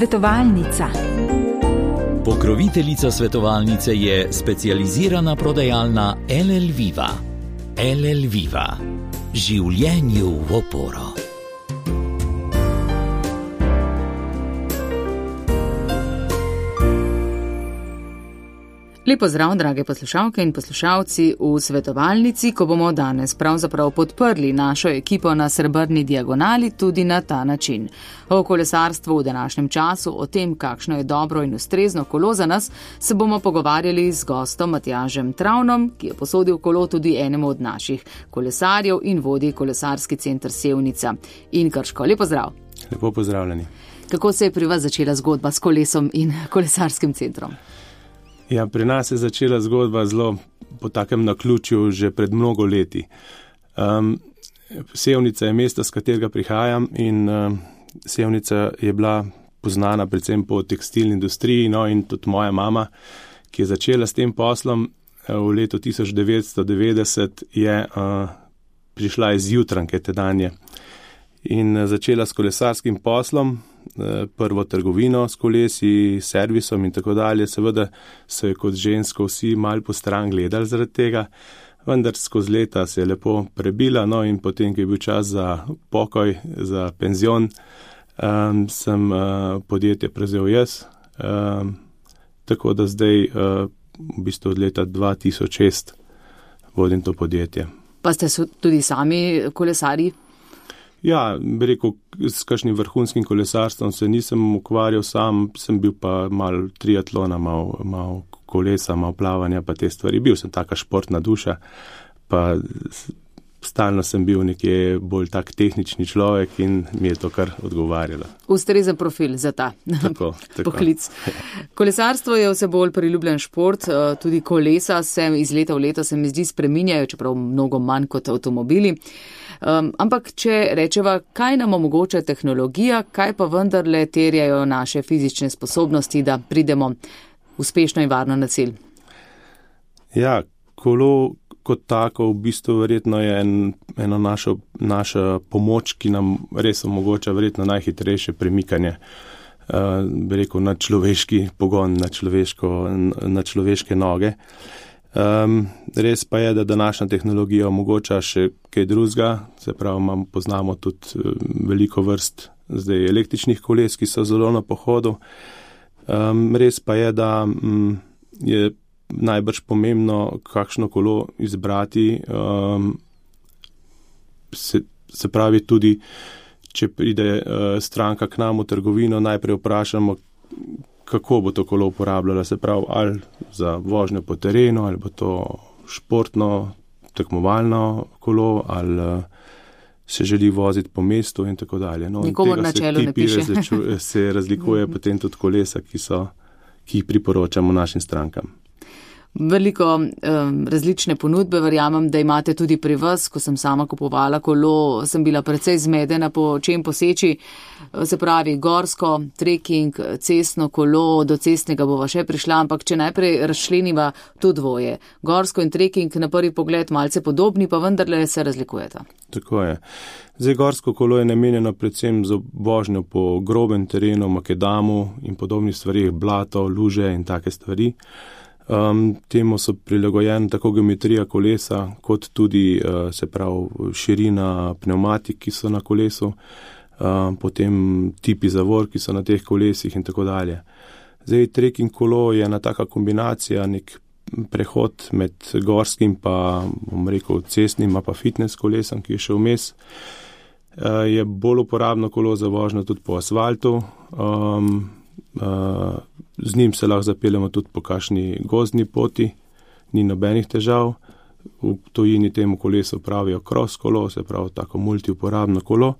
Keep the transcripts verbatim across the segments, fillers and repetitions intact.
Svetovalnica. Pokroviteljica svetovalnice je specializirana prodajalna L L Viva. L L Viva. Življenju v oporo. Lep pozdrav, drage poslušalke in poslušalci v svetovalnici, ko bomo danes pravzaprav podprli našo ekipo na Srebrni diagonali tudi na ta način. O kolesarstvu v današnjem času, o tem, kakšno je dobro in ustrezno kolo za nas, se bomo pogovarjali z gostom Matjažem Travnom, ki je posodil kolo tudi enemu od naših kolesarjev in vodi kolesarski center Sevnica in Krško. Lep pozdrav. Lepo pozdravljeni. Kako se je pri vas začela zgodba s kolesom in kolesarskim centrom? Ja, pri nas je začela zgodba zelo po takem naključju že pred mnogo leti. Um, Sevnica je mesto, z katerega prihajam, in um, Sevnica je bila poznana predvsem po tekstilni industriji, no, in tudi moja mama, ki je začela s tem poslom v letu tisoč devetsto devetdeset, je uh, prišla iz Jutranke tedanje in uh, začela s kolesarskim poslom, prvo trgovino s kolesi, servisom in tako dalje. Seveda so je kot žensko vsi malo po stran gledali zaradi tega, vendar skozi leta se je lepo prebila, no, in potem, ko je bil čas za pokoj, za penzion, um, sem uh, podjetje prevzel jaz, um, tako da zdaj uh, v bistvu od leta dva tisoč šest vodim to podjetje. Pa ste tudi sami kolesarji? Ja, bi rekel, s kakšnim vrhunskim kolesarstvom se nisem ukvarjal sam, sem bil pa malo triatlona, malo, malo kolesa, malo plavanja, pa te stvari. Bil sem taka športna duša, pa stalno sem bil nekje bolj tak tehnični človek in mi je to kar odgovarjalo. Ustrezen profil za ta tako, tako. poklic. Kolesarstvo je vse bolj priljubljen šport, tudi kolesa se iz leta v leto se mi zdi spreminjajo, čeprav mnogo manj kot avtomobili. Um, ampak če rečeva, kaj nam omogoča tehnologija, kaj pa vendarle terjajo naše fizične sposobnosti, da pridemo uspešno in varno na cilj? Ja, kolo kot tako v bistvu verjetno je en, eno našo, naša pomoč, ki nam res omogoča verjetno najhitrejše premikanje, uh, bi rekel, na človeški pogon, na, človeško, na človeške noge. Um, res pa je, da današnja tehnologija omogoča še kaj drugega, se pravi, imam, poznamo tudi veliko vrst zdaj električnih koles, ki so zelo na pohodu. Um, res pa je, da um, je najbrž pomembno, kakšno kolo izbrati. Um, se, se pravi tudi, če pride uh, stranka k nam v trgovino, najprej vprašamo, kako bo to kolo uporabljala, se pravi, ali za vožnjo po terenu, ali bo to športno, tekmovalno kolo, ali se želi voziti po mestu in tako dalje. No, Nikomor na čelu ne piše. Različuje, se razlikuje potem tudi kolesa, ki, so, ki jih priporočamo našim strankam. Veliko um, različne ponudbe, verjamem, da imate tudi pri vas. Ko sem sama kupovala kolo, sem bila precej zmedena, po čem poseči. Se pravi, gorsko, trekking, cestno kolo, do cestnega bova še prišla, ampak če najprej razčleniva to dvoje. Gorsko in trekking na prvi pogled malce podobni, pa vendarle se razlikujeta. Tako je. Zdaj, gorsko kolo je namenjeno predvsem za vožnjo po grobem terenu, makedamu in podobnih stvarih, blato, luže in take stvari. Um, temu so prilagojene tako geometrija kolesa, kot tudi uh, se pravi širina pneumatik, ki so na kolesu, uh, potem tipi zavor, ki so na teh kolesih in tako dalje. Zdaj, trekking kolo je ena taka kombinacija, nek prehod med gorskim pa, bom rekel, cestnim, pa fitness kolesom, ki je še vmes. Uh, je bolj uporabno kolo za vožnjo tudi po asfaltu. Um, uh, Z njim se lahko zapeljemo tudi po kakšni gozdni poti, ni nobenih težav. V tujini temu kolesu pravijo cross kolo, se pravi tako multiuporabno kolo.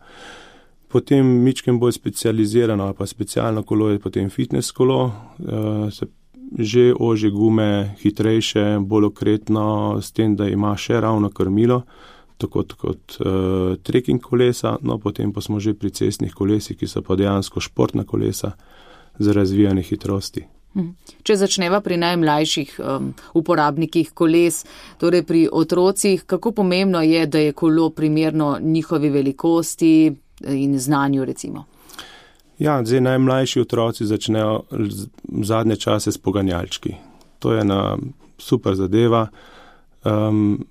Potem mičkem bolj specializirano, pa specialno kolo je potem fitness kolo, se že ožje gume, hitrejše, bolj okretno, s tem, da ima še ravno krmilo, tako kot uh, trekking kolesa, no potem pa smo že pri cestnih kolesih, ki so pa dejansko športna kolesa za razvijanje hitrosti. Če začneva pri najmlajših um, uporabnikih koles, torej pri otrocih, kako pomembno je, da je kolo primerno njihovi velikosti in znanju recimo? Ja, zdaj najmlajši otroci začnejo zadnje čase s poganjalčki. To je ena super zadeva. Um,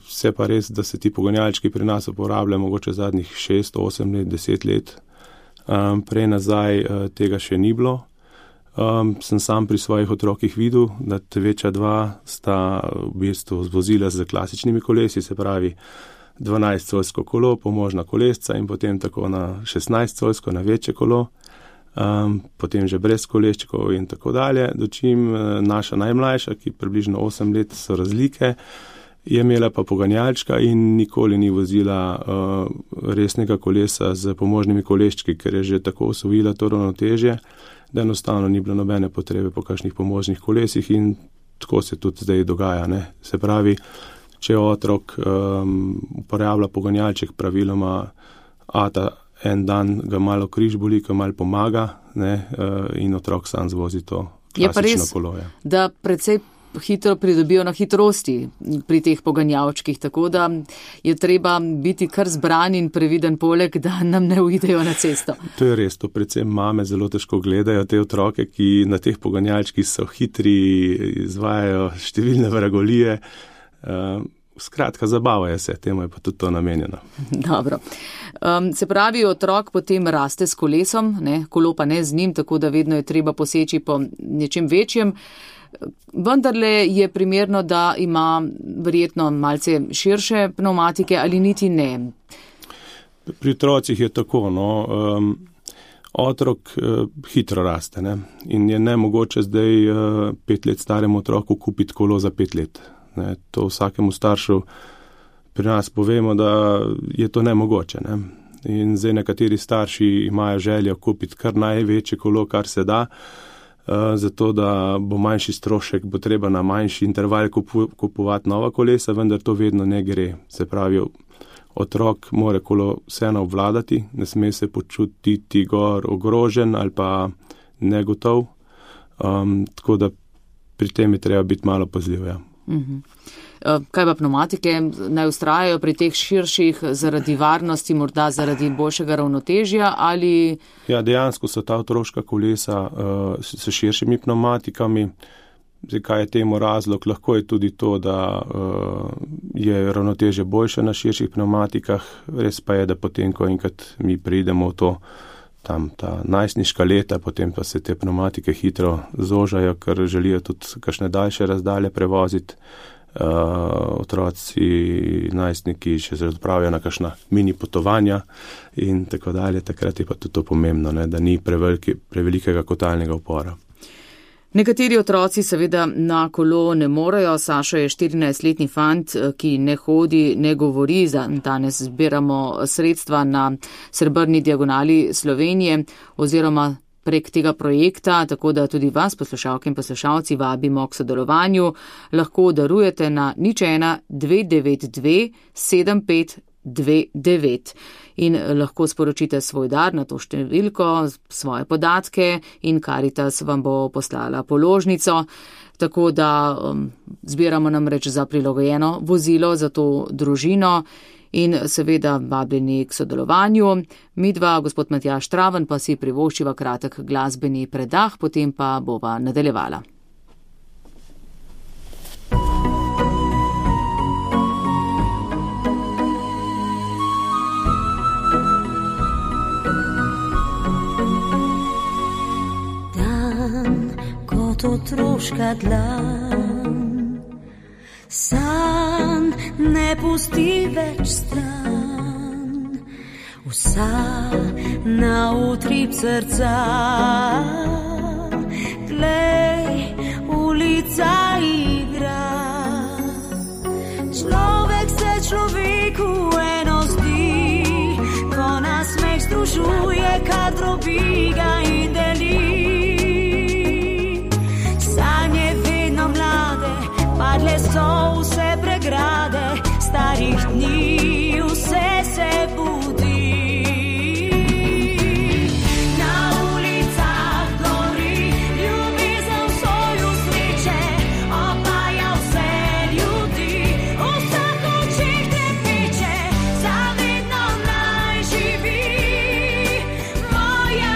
vse pa res, da se ti poganjalčki pri nas uporabljajo mogoče zadnjih šest, osem let, deset let. Um, prej nazaj uh, tega še ni bilo. Um, sem sam pri svojih otrokih videl, da te večja dva sta v bistvu vozila z klasičnimi kolesi, se pravi dvanajstcolsko kolo, pomožna kolesca in potem tako na šestnajstcolsko, na večje kolo, um, potem že brez koleščkov in tako dalje. Dočim uh, naša najmlajša, ki približno osem let so razlike, je imela pa poganjalčka in nikoli ni vozila uh, resnega kolesa z pomožnimi koleščki, ker je že tako osvojila to ravnotežje, da enostavno ni bilo nobene potrebe po kakšnih pomožnih kolesih in tako se tudi zdaj dogaja. Ne? Se pravi, če otrok um, uporablja poganjalček praviloma, ata en dan ga malo križ boli, ko malo pomaga, ne? Uh, in otrok sam zvozi to klasično kolo. Je pa res, da precej hitro pridobijo na hitrosti pri teh poganjavčkih, tako da je treba biti kar zbran in previden poleg, da nam ne uidejo na cesto. To je res, to predvsem mame zelo težko gledajo te otroke, ki na teh poganjavčkih so hitri, izvajajo številne vragolije. Uh, skratka, zabavajo se, temu je pa tudi to namenjeno. Dobro. Um, se pravi, otrok potem raste s kolesom, ne, kolo pa ne z njim, tako da vedno je treba poseči po nečem večjem. Vendarle je primerno, da ima verjetno malce širše pneumatike ali niti ne. Pri otrocih je tako, no, um, otrok uh, hitro raste, ne, in je nemogoče zdaj uh, pet let staremu otroku kupiti kolo za pet let. Ne. To vsakemu staršu pri nas povemo, da je to nemogoče, ne. In zdaj nekateri starši imajo željo kupiti kar največje kolo, kar se da. Uh, zato, da bo manjši strošek, bo treba na manjši interval kupu, kupovati nova kolesa, vendar to vedno ne gre. Se pravi, otrok mora kolo vseeno obvladati, ne sme se počutiti gor ogrožen ali pa negotov, um, tako da pri tem je treba biti malo pazljiv. Ja. Uh-huh. Kaj pa pneumatike, naj ustrajajo pri teh širših zaradi varnosti, morda zaradi boljšega ravnotežja ali... Ja, dejansko so ta otroška kolesa uh, s širšimi pneumatikami. Zdaj, kaj je temu razlog? Lahko je tudi to, da uh, je ravnotežje boljše na širših pneumatikah, res pa je, da potem, ko enkrat mi pridemo v to, tam ta najstniška leta, potem pa se te pneumatike hitro zožajo, ker želijo tudi kakšne daljše razdalje prevoziti. Uh, otroci, najstniki še se odpravijo na kakšna mini potovanja in tako dalje. Takrat je pa tudi to pomembno, ne, da ni preveliki, prevelikega kotalnega upora. Nekateri otroci seveda na kolo ne morejo. Sašo je štirinajstletni fant, ki ne hodi, ne govori. Danes zbiramo sredstva na Srebrni diagonali Slovenije oziroma prek tega projekta, tako da tudi vas, poslušalke in poslušalci, vabimo k sodelovanju. Lahko darujete na nič ena dve devet dve sedem pet dve devet in lahko sporočite svoj dar na to številko, svoje podatke in Karitas vam bo poslala položnico. Tako da um, zbiramo namreč za prilagojeno vozilo za to družino. In seveda vabljeni k sodelovanju. Midva, gospod Matjaž Traven, pa si privoščiva kratek glasbeni predah, potem pa bova nadaljevala. Dan kot otroška dlan, san ne pusti več stran, vsa na utrip srca. Glej, ulica igra, človek se človeku eno zdi, ko nas smeh združuje, kad drobi ga in deli. Sanje vedno mlade, padle so vse pregrade, starih dni vse se budi. Na ulicah gori ljubezen v soju sreče, opaja vse ljudi, vsak očeh te peče, zavedno naj živi moja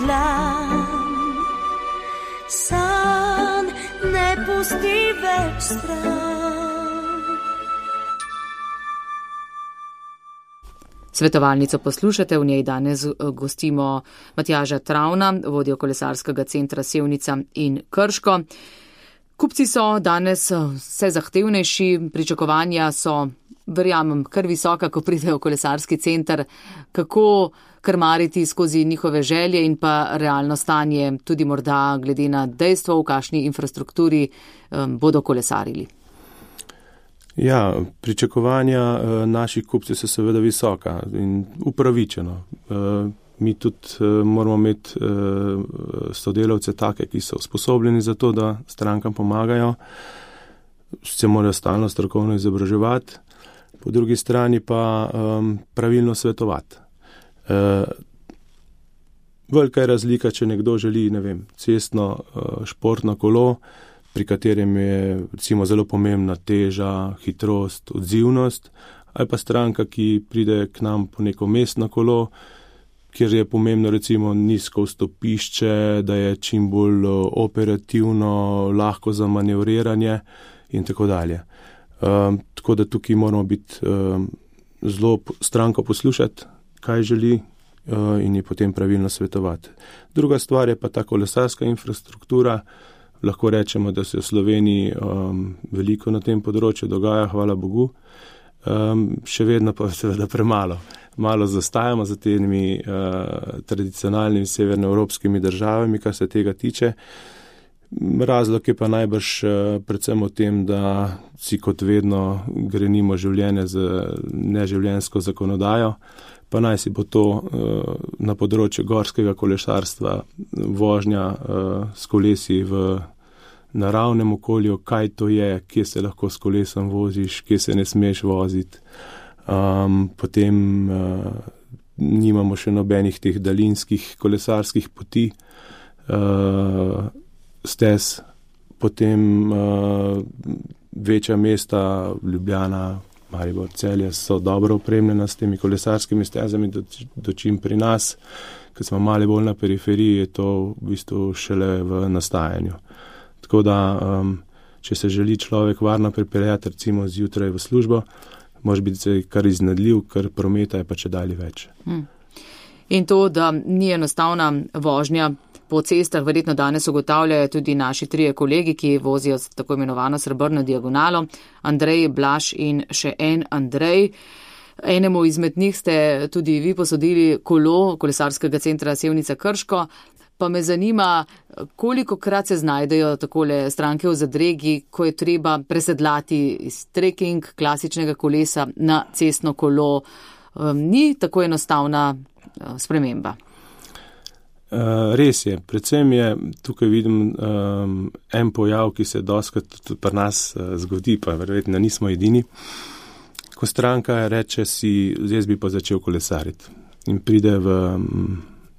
dlan. San ne pusti več stran. Svetovalnico poslušate, v njej danes gostimo Matjaža Travna, vodjo kolesarskega centra Sevnica in Krško. Kupci so danes vse zahtevnejši, pričakovanja so, verjamem, kar visoka, ko pridejo v kolesarski center. Kako krmariti skozi njihove želje in pa realno stanje, tudi morda glede na dejstvo, v kakšni infrastrukturi um, bodo kolesarili? Ja, pričakovanja uh, naših kupcev so seveda visoka in upravičeno. Uh, Mi tudi uh, moramo imeti uh, sodelavce take, ki so usposobljeni za to, da strankam pomagajo, se morajo stalno strokovno izobraževati, po drugi strani pa um, pravilno svetovati. Uh, velika je razlika, če nekdo želi, ne vem, cestno uh, športno kolo, pri katerem je recimo zelo pomembna teža, hitrost, odzivnost, ali pa stranka, ki pride k nam po neko mestno kolo, kjer je pomembno recimo nizko vstopišče, da je čim bolj operativno, lahko za manevriranje in tako dalje. Um, tako da tukaj moramo biti um, zelo stranko poslušati, kaj želi uh, in je potem pravilno svetovati. Druga stvar je pa ta kolesarska infrastruktura. Lahko rečemo, da se v Sloveniji um, veliko na tem področju dogaja, hvala Bogu. Um, še vedno pa seveda premalo. Malo zastajamo za temi uh, tradicionalnimi severnoevropskimi državami, kar se tega tiče. Razlog je pa najbrž uh, predvsem v tem, da si kot vedno grenimo življenje z neživljenjsko zakonodajo, pa naj si bo to uh, na področju gorskega kolesarstva, vožnja uh, s kolesi v naravnem okolju, kaj to je, kje se lahko s kolesom voziš, kje se ne smeš voziti. Um, potem uh, nimamo še nobenih teh daljinskih kolesarskih poti, uh, stez, potem uh, večja mesta, Ljubljana, Maribor, Celje so dobro opremljena s temi kolesarskimi stezami, dočim pri nas, ker smo malo bolj na periferiji, je to v bistvu šele v nastajanju. Tako da, um, če se želi človek varno pripeljati recimo zjutraj v službo, može biti kar iznadljiv, kar prometa je pa če dalje več. Hmm. In to, da ni enostavna vožnja po cestah, verjetno danes ugotavljajo tudi naši trije kolegi, ki vozijo tako imenovano srebrno diagonalo, Andrej, Blaž in še en Andrej. Enemu izmed njih ste tudi vi posodili kolo kolesarskega centra Sevnica Krško. Pa me zanima, koliko krat se znajdejo takole stranke v zadregi, ko je treba presedlati iz trekking klasičnega kolesa na cestno kolo. Um, ni tako enostavna uh, sprememba. Uh, res je. Predvsem je, tukaj vidim um, en pojav, ki se doskrat tudi pri nas uh, zgodi, pa verjetno nismo edini. Ko stranka reče si, zdaj bi pa začel kolesariti in pride v um,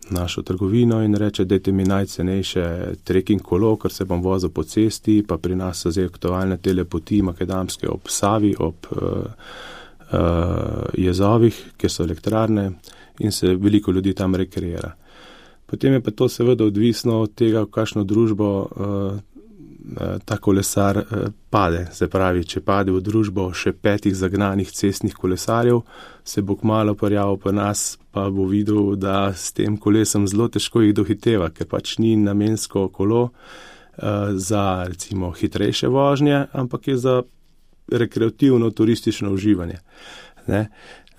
našo trgovino in reče, dajte mi najcenejše trekking kolo, ker se bom vozil po cesti, pa pri nas so zdaj aktualne telepoti makedamske ob Savi, ob uh, uh, jezovih, kjer so elektrarne in se veliko ljudi tam rekreira. Potem je pa to seveda odvisno od tega, v kakšno družbo uh, ta kolesar uh, pade. Se pravi, če pade v družbo še petih zagnanih cestnih kolesarjev, se bo kmalu pojavil pri nas, pa bo videl, da s tem kolesom zelo težko jih dohiteva, ker pač ni namensko kolo uh, za recimo hitrejše vožnje, ampak je za rekreativno turistično uživanje. Ne?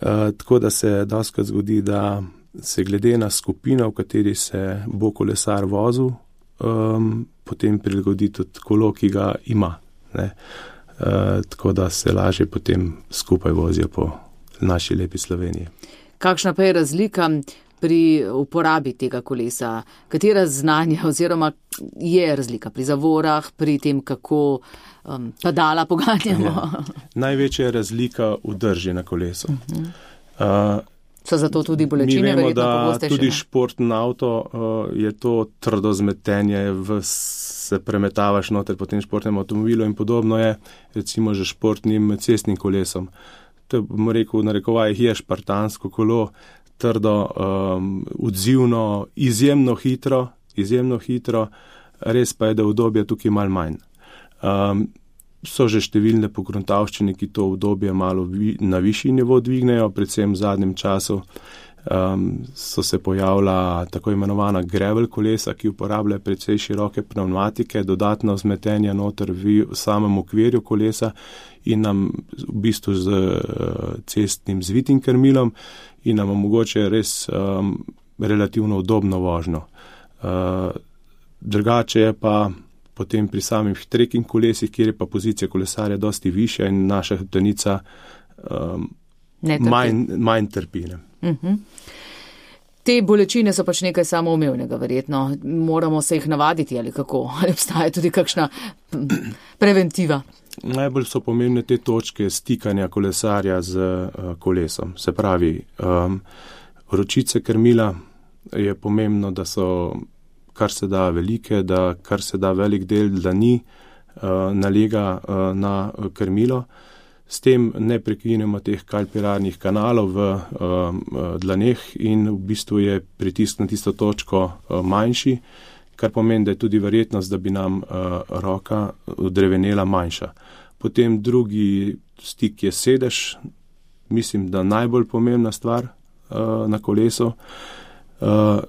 Uh, tako da se doskrat zgodi, da se glede na skupino, v kateri se bo kolesar vozil, um, potem prilagodi tudi kolo, ki ga ima. Ne? Uh, tako da se lažje potem skupaj vozijo po naši lepi Sloveniji. Kakšna pa je razlika pri uporabi tega kolesa? Katera znanja oziroma je razlika pri zavorah, pri tem, kako um, pedala poganjamo? Ja. Največja je razlika v drži na kolesu. Uh-huh. Uh, So zato tudi bolečine, verjetno pogostejše? Mi vemo, da tudi športni avto uh, je to trdo zmetenje, v, se premetavaš noter po tem športnem avtomobilu in podobno je recimo že športnim cestnim kolesom. To bomo rekel, v narekovajih je špartansko kolo, trdo, um, odzivno, izjemno hitro, izjemno hitro, res pa je, da udobje tukaj malo manj. Um, so že številne pogruntavščine, ki to udobje malo vi, na višji nivo dvignejo, predvsem v zadnjem času um, so se pojavila tako imenovana gravel kolesa, ki uporabljajo precej široke pneumatike, dodatno vzmetenje noter v samem okvirju kolesa in nam v bistvu z uh, cestnim zvitim krmilom in nam omogoče res um, relativno udobno vožnjo. Uh, drugače je pa potem pri samih trekking kolesih, kjer je pa pozicija kolesarja dosti višja in naša hrbtenica um, manj, manj trpi. Uh-huh. Te bolečine so pač nekaj samoumevnega, verjetno. Moramo se jih navaditi ali kako? Ali obstaja tudi kakšna preventiva? Najbolj so pomembne te točke stikanja kolesarja z uh, kolesom. Se pravi, um, ročice krmila je pomembno, da so kar se da velike, da kar se da velik del dlani uh, nalega uh, na krmilo. S tem ne prekinemo teh kalpirarnih kanalov v uh, dlaneh in v bistvu je pritisk na tisto točko uh, manjši, kar pomeni, da je tudi verjetnost, da bi nam uh, roka odrevenela manjša. Potem drugi stik je sedež, mislim, da najbolj pomembna stvar uh, na kolesu. Uh,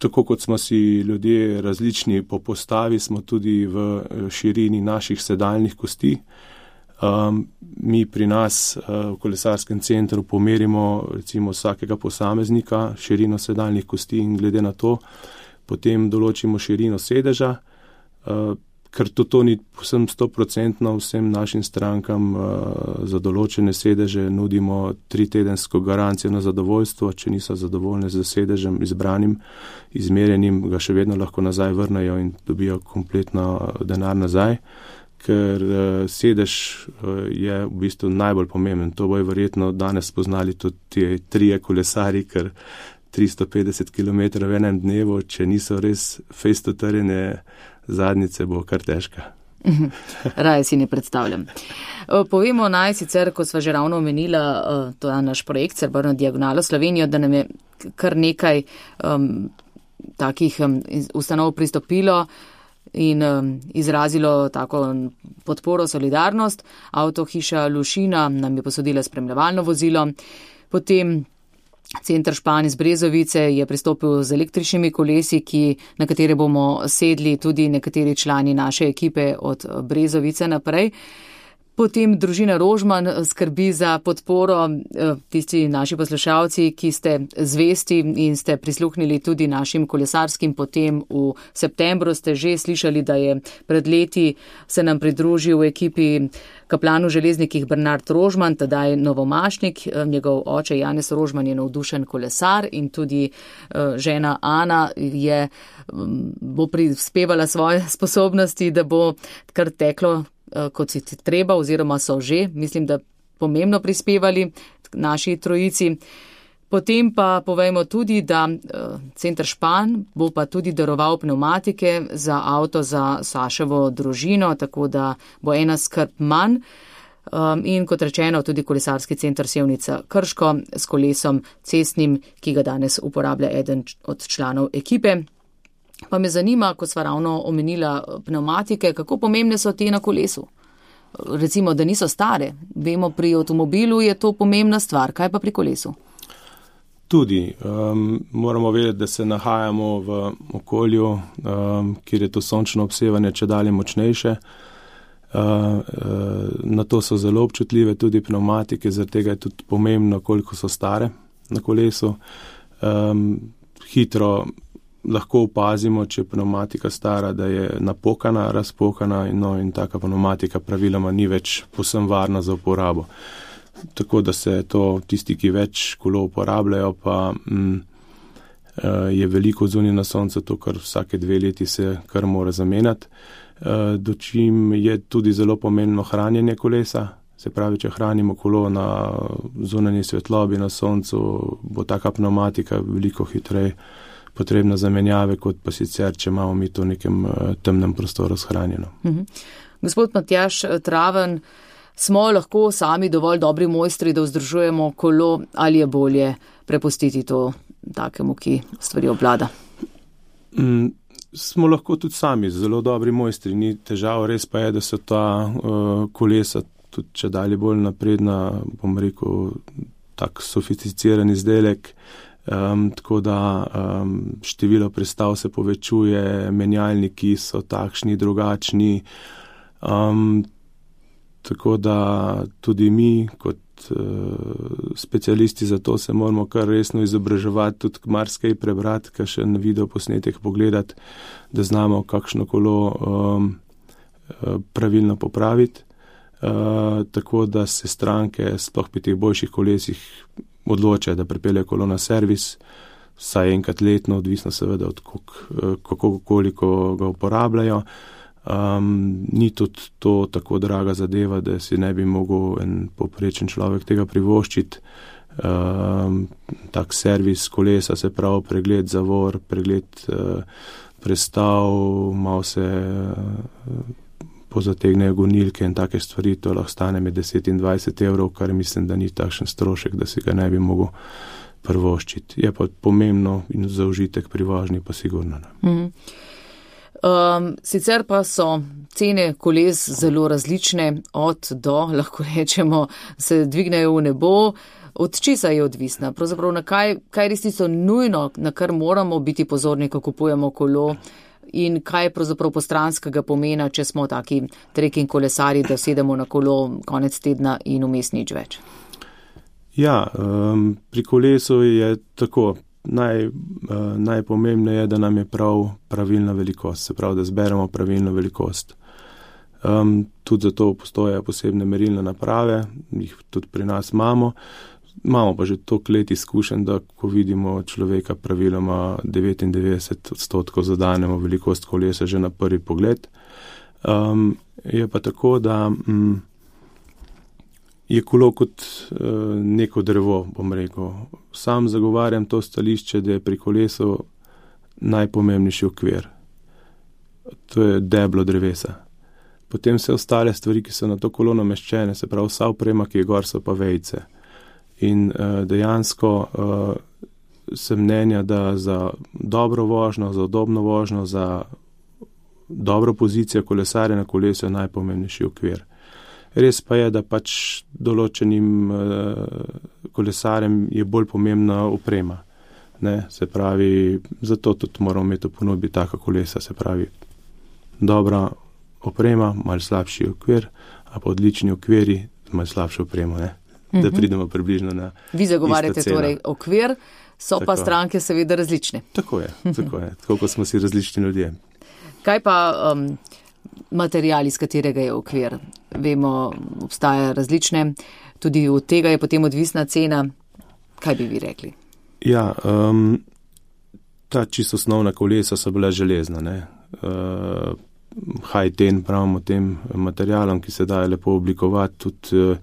Tako kot smo si ljudje različni po postavi, smo tudi v širini naših sedalnih kosti. Um, mi pri nas uh, v kolesarskem centru pomerimo recimo vsakega posameznika širino sedalnih kosti in glede na to potem določimo širino sedeža, uh, ker to, to ni povsem sto procentno vsem našim strankam uh, za določene sedeže nudimo tri tedensko garancijo na zadovoljstvo, če niso zadovoljne z sedežem izbranim, izmerjenim, ga še vedno lahko nazaj vrnejo in dobijo kompletno denar nazaj, ker uh, sedež uh, je v bistvu najbolj pomemben. To bojo verjetno danes spoznali tudi ti trije kolesari, ker tristo petdeset kilometrov v enem dnevu, če niso res fejsto trjene zadnjice, bo kar težka. Raje si ne predstavljam. Povemo naj sicer, ko sva že ravno omenila, to je naš projekt Srebrno diagonalo Slovenijo, da nam je kar nekaj um, takih um, ustanov pristopilo in um, izrazilo tako podporo, solidarnost. Avtohiša Lušina nam je posodila spremljevalno vozilo, potem Center Špan iz Brezovice je pristopil z električnimi kolesi, ki, na katere bomo sedli tudi nekateri člani naše ekipe od Brezovice naprej. Potem družina Rožman skrbi za podporo, tisti naši poslušalci, ki ste zvesti in ste prisluhnili tudi našim kolesarskim potem v septembru, ste že slišali, da je pred leti se nam pridružil v ekipi kaplan v železnikih Bernard Rožman, tedaj novomašnik, njegov oče Janez Rožman je navdušen kolesar in tudi žena Ana je, bo prispevala svoje sposobnosti, da bo kar teklo kot si treba, oziroma so že, mislim, da pomembno prispevali naši trojici. Potem pa povejmo tudi, da Center Špan bo pa tudi daroval pneumatike za avto za Saševo družino, tako da bo ena skrb manj. In kot rečeno, tudi kolesarski center Sevnica Krško s kolesom cestnim, ki ga danes uporablja eden od članov ekipe. Pa me zanima, ko sva ravno omenila pneumatike, kako pomembne so te na kolesu? Recimo, da niso stare. Vemo, pri avtomobilu je to pomembna stvar. Kaj pa pri kolesu? Tudi. Um, moramo vedeti, da se nahajamo v okolju, um, kjer je to sončno obsevanje čedalje močnejše. Uh, uh, na to so zelo občutljive tudi pneumatike, zaradi tega je tudi pomembno, koliko so stare na kolesu. Um, hitro lahko opazimo, če je pneumatika stara, da je napokana, razpokana in, no, in taka pneumatika praviloma ni več povsem varna za uporabo. Tako da se to tisti, ki več kolo uporabljajo, pa mm, je veliko zunaj na soncu, to kar vsake dve leti se kar mora zamenjati. Dočim je tudi zelo pomembno hranjenje kolesa. Se pravi, če hranimo kolo na zunanji svetlobi na soncu, bo taka pneumatika veliko hitreje potrebna zamenjave, kot pa sicer, če imamo mi to v nekem temnem prostoru shranjeno. Mhm. Gospod Matjaž Traven, smo lahko sami dovolj dobri mojstri, da vzdržujemo kolo, ali je bolje prepustiti to takemu, ki stvari obvlada? Mm, smo lahko tudi sami zelo dobri mojstri, ni težava, res pa je, da so ta uh, kolesa tudi če dalje bolj napredna, bom rekel, tak sofisticiran izdelek, um, tako da um, število prestav se povečuje, menjalniki so takšni, drugačni, um, tako da tudi mi kot uh, specialisti za to se moramo kar resno izobraževati, tudi marsikaj prebrati, kar še na video posnetek pogledati, da znamo kakšno kolo um, pravilno popraviti. Uh, tako da se stranke sploh pri teh boljših kolesih odločajo, da pripeljejo kolo na servis, vsaj enkrat letno, odvisno seveda od kako, koliko ga uporabljajo. Um, ni tudi to tako draga zadeva, da si ne bi mogel en poprečen človek tega privoščiti. Um, tak servis kolesa, se pravi pregled zavor, pregled uh, prestav, malo se uh, pozategnejo gonilke in take stvari, to lahko stane med deset in dvajset evrov, kar mislim, da ni takšen strošek, da si ga ne bi mogel privoščiti. Je pa pomembno in za užitek pri vožnji pa sigurno. Mm. Um, sicer pa so cene koles zelo različne, od do, lahko rečemo, se dvignejo v nebo. Od česa je odvisna? Pravzaprav na kaj, kaj res tisto nujno, na kar moramo biti pozorni, ko kupujemo kolo, in kaj je pravzaprav postranskega pomena, če smo taki trekking kolesari, da sedemo na kolo konec tedna in vmes nič več? Ja, um, pri kolesu je tako, naj, uh, najpomembneje je, da nam je prav pravilna velikost, se pravi, da zberemo pravilno velikost. Um, tudi zato postojajo posebne merilne naprave, jih tudi pri nas imamo. Imamo pa že toliko let izkušen, da ko vidimo človeka praviloma devetindevetdeset odstotkov zadanemo velikost kolesa že na prvi pogled. Um, je pa tako, da um, je kolo kot uh, neko drevo, bom rekel. Sam zagovarjam to stališče, da je pri kolesu najpomembnejši okvir. To je deblo drevesa. Potem vse ostale stvari, ki so na to kolo nameščene, se pravi vsa oprema, ki je gor, so pa vejice. In uh, dejansko uh, sem mnenja, da za dobro vožnjo, za udobno vožnjo, za dobro pozicijo kolesarja na kolesu je najpomembnejši okvir. Res pa je, da pač določenim uh, kolesarjem je bolj pomembna oprema. Ne? Se pravi, zato tudi moramo imeti v ponudbi taka kolesa, se pravi, dobra oprema, malo slabši okvir, a pa odlični okviri, malo slabšo opremo, ne? Da pridemo približno na isto ceno. Vi zagovarjate torej okvir, so tako. Pa stranke seveda različne. Tako je, tako je, tako kot smo si različni ljudje. Kaj pa um, material, iz katerega je okvir? Vemo, obstaja različne, tudi od tega je potem odvisna cena. Kaj bi vi rekli? Ja, um, ta čisto osnovna kolesa so bila železna, ne. Uh, high-ten pravimo tem materialom, ki se daje lepo oblikovati, tudi uh,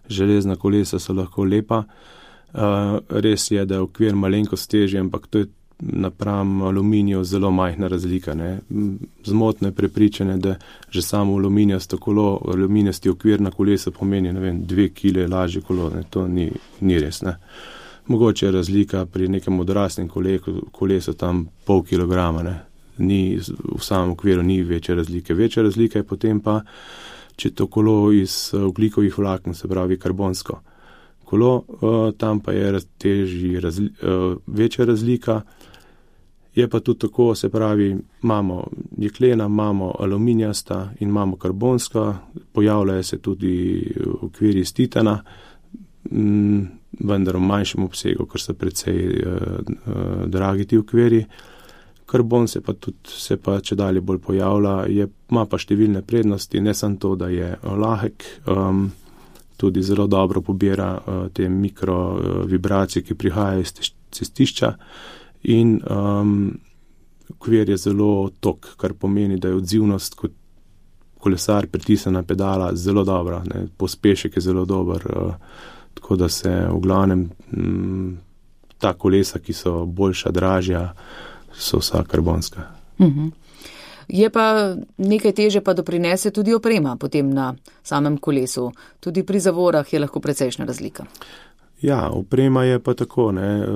železna kolesa so lahko lepa. Uh, res je, da je okvir malenkost težji, ampak to je napram aluminiju zelo majhna razlika. Ne. Zmotno je prepričanje, da že samo aluminijasto kolo, aluminijasti okvir na kolesu pomeni, ne vem, dve kile lažje kolo. Ne. To ni, ni res. Ne. Mogoče je razlika pri nekem odraslem kolesu tam pol kilograma. Ne. Ni, v samem okviru ni večje razlike. Večja razlika je potem pa, če to kolo iz ogljikovih vlaken, se pravi karbonsko kolo, uh, tam pa je težji, razli, uh, večja razlika. Je pa tudi tako, se pravi, imamo jeklena, imamo aluminijasta in imamo karbonska, pojavljajo se tudi okviri iz titana, m, vendar v manjšem obsegu, ker so precej uh, uh, dragi ti okviri. Karbon se pa tudi, se pa če dalje bolj pojavlja, je, ima pa številne prednosti, ne samo to, da je lahek, um, tudi zelo dobro pobira uh, te mikro uh, vibracije, ki prihajajo iz cestišča in um, okvir je zelo tok, kar pomeni, da je odzivnost kot kolesar pritisnjena pedala zelo dobra, ne, pospešek je zelo dober, uh, tako da se v glavnem m, ta kolesa, ki so boljša, dražja, so vsa karbonska. Mhm. Je pa nekaj teže pa doprinese tudi oprema potem na samem kolesu. Tudi pri zavorah je lahko precejšnja razlika. Ja, oprema je pa tako, ne,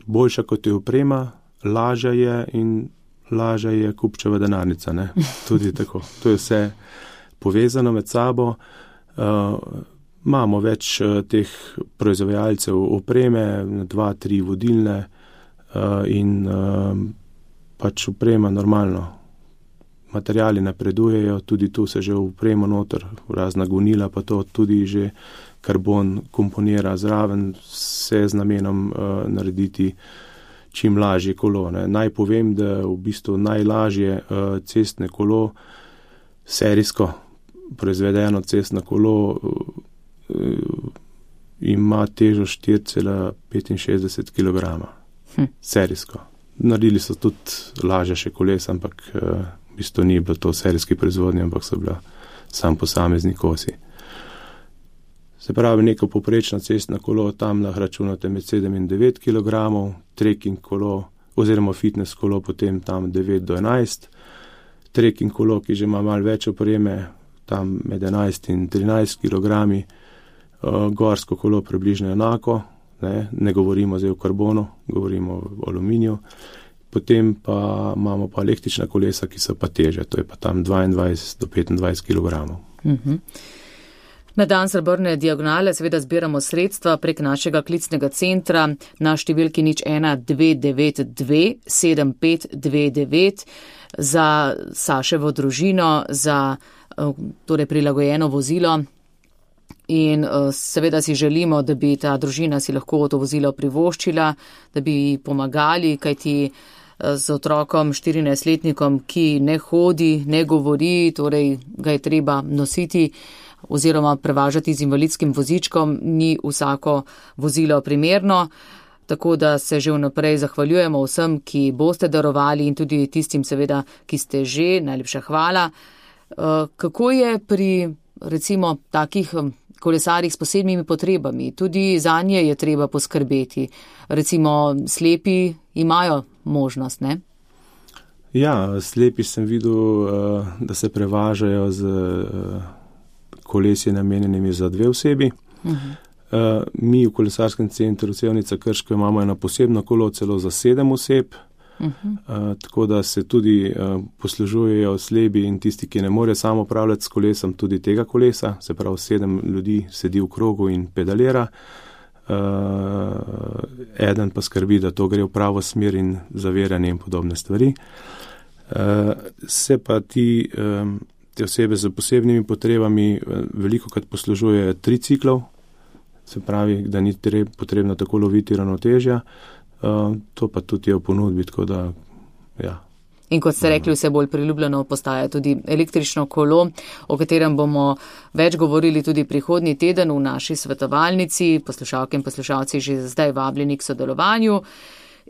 boljša kot je oprema, lažja je in lažja je kupčeva denarnica, ne, tudi tako. To je vse povezano med sabo. Uh, imamo več uh, teh proizvajalcev opreme, dva, tri vodilne uh, in uh, pač oprema normalno. Materiali napredujejo, tudi tu se že v opremo noter, razna gonila, pa to tudi že karbon komponira zraven, vse z namenom uh, narediti čim lažje kolo. Ne. Naj povem, da v bistvu najlažje uh, cestne kolo, serijsko proizvedeno cestno kolo, uh, ima težo štiri cela petinšestdeset kilogramov. Hm. Serijsko. Naredili so tudi lažje še kolesa, ampak uh, v bistvu ni bilo to serijski proizvodnje, ampak so bila sam posamezni kosi. Se pravi, neko poprečno cestno kolo tam lahko računate med sedem in devet kilogramov, trekking kolo oziroma fitness kolo potem tam devet do enajst, trekking kolo, ki že ima malo več opreme, tam med enajst in trinajst kilogrami, uh, gorsko kolo približno enako, ne, ne govorimo zdaj o karbonu, govorimo o aluminiju, potem pa imamo pa električna kolesa, ki so pa teže, to je pa tam dvaindvajset do petindvajset kilogramov. Mhm. Na dan Srebrne diagonale seveda zbiramo sredstva prek našega klicnega centra na številki nič ena dve devet dve sedem pet dve devet za Saševo družino, za torej prilagojeno vozilo in seveda si želimo, da bi ta družina si lahko to vozilo privoščila, da bi pomagali, kajti z otrokom štirinajstletnikom, ki ne hodi, ne govori, torej ga je treba nositi oziroma prevažati z invalidskim vozičkom, ni vsako vozilo primerno, tako da se že vnaprej zahvaljujemo vsem, ki boste darovali in tudi tistim seveda, ki ste že, najlepša hvala. Kako je pri recimo takih kolesarjih s posebnimi potrebami? Tudi zanje je treba poskrbeti. Recimo slepi imajo možnost, ne? Ja, slepi sem videl, da se prevažajo z kolesje namenjenimi za dve osebi. Uh-huh. Uh, mi v kolesarskem centru Sevnica Krško imamo eno posebno kolo celo za sedem oseb, uh-huh. uh, tako da se tudi uh, poslužujejo slebi in tisti, ki ne morejo samo upravljati s kolesom, tudi tega kolesa, se pravi sedem ljudi sedi v krogu in pedalira, uh, eden pa skrbi, da to gre v pravo smer in zaviranje in podobne stvari. Uh, se pa ti um, Te osebe z posebnimi potrebami veliko krat poslužujejo triciklov, se pravi, da ni potrebno tako loviti ravnotežja, uh, to pa tudi je v ponudbi, tako da, ja. In kot ste rekli, vse bolj priljubljeno postaja tudi električno kolo, o katerem bomo več govorili tudi prihodnji teden v naši svetovalnici, poslušalke in poslušalci že zdaj vabljeni k sodelovanju.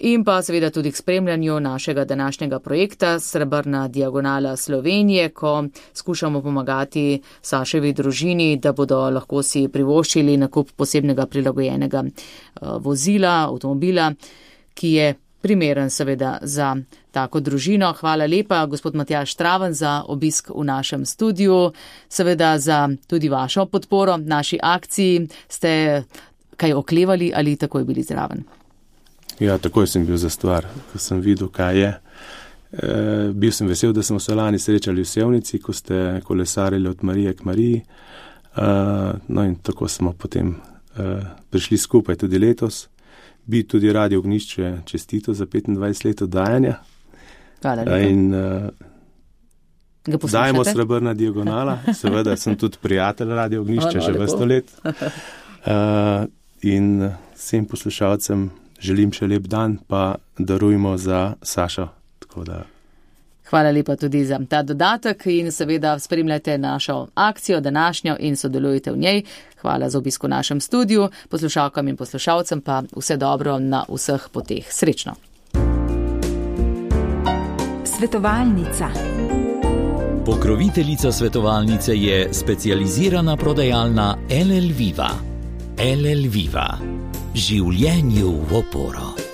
In pa seveda tudi k spremljanju našega današnjega projekta Srebrna diagonala Slovenije, ko skušamo pomagati Saševi družini, da bodo lahko si privoščili nakup posebnega prilagojenega vozila, avtomobila, ki je primeren seveda za tako družino. Hvala lepa, gospod Matjaž Traven, za obisk v našem studiu, seveda za tudi vašo podporo naši akciji. Ste kaj oklevali ali takoj bili zraven? Ja, takoj sem bil za stvar, ko sem videl, kaj je. E, bil sem vesel, da smo se lani srečali v Sevnici, ko ste kolesarili od Marije k Mariji. E, no in tako smo potem e, prišli skupaj tudi letos. Bi tudi Radio Ognjišče čestito za petindvajset let oddajanja. Hvala lepa. In e, dajmo Srebrna diagonala. Seveda sem tudi prijatelj Radio Ognjišče že vrsto let. E, in vsem poslušalcem želim še lep dan, pa darujmo za Sašo. Tako da. Hvala lepa tudi za ta dodatek in seveda spremljate našo akcijo današnjo in sodelujete v njej. Hvala za obisk v našem studiu, poslušalkam in poslušalcem pa vse dobro na vseh poteh. Srečno. Svetovalnica. Pokroviteljica svetovalnice je specializirana prodajalna L L Viva. L L Viva. Življenju v oporo.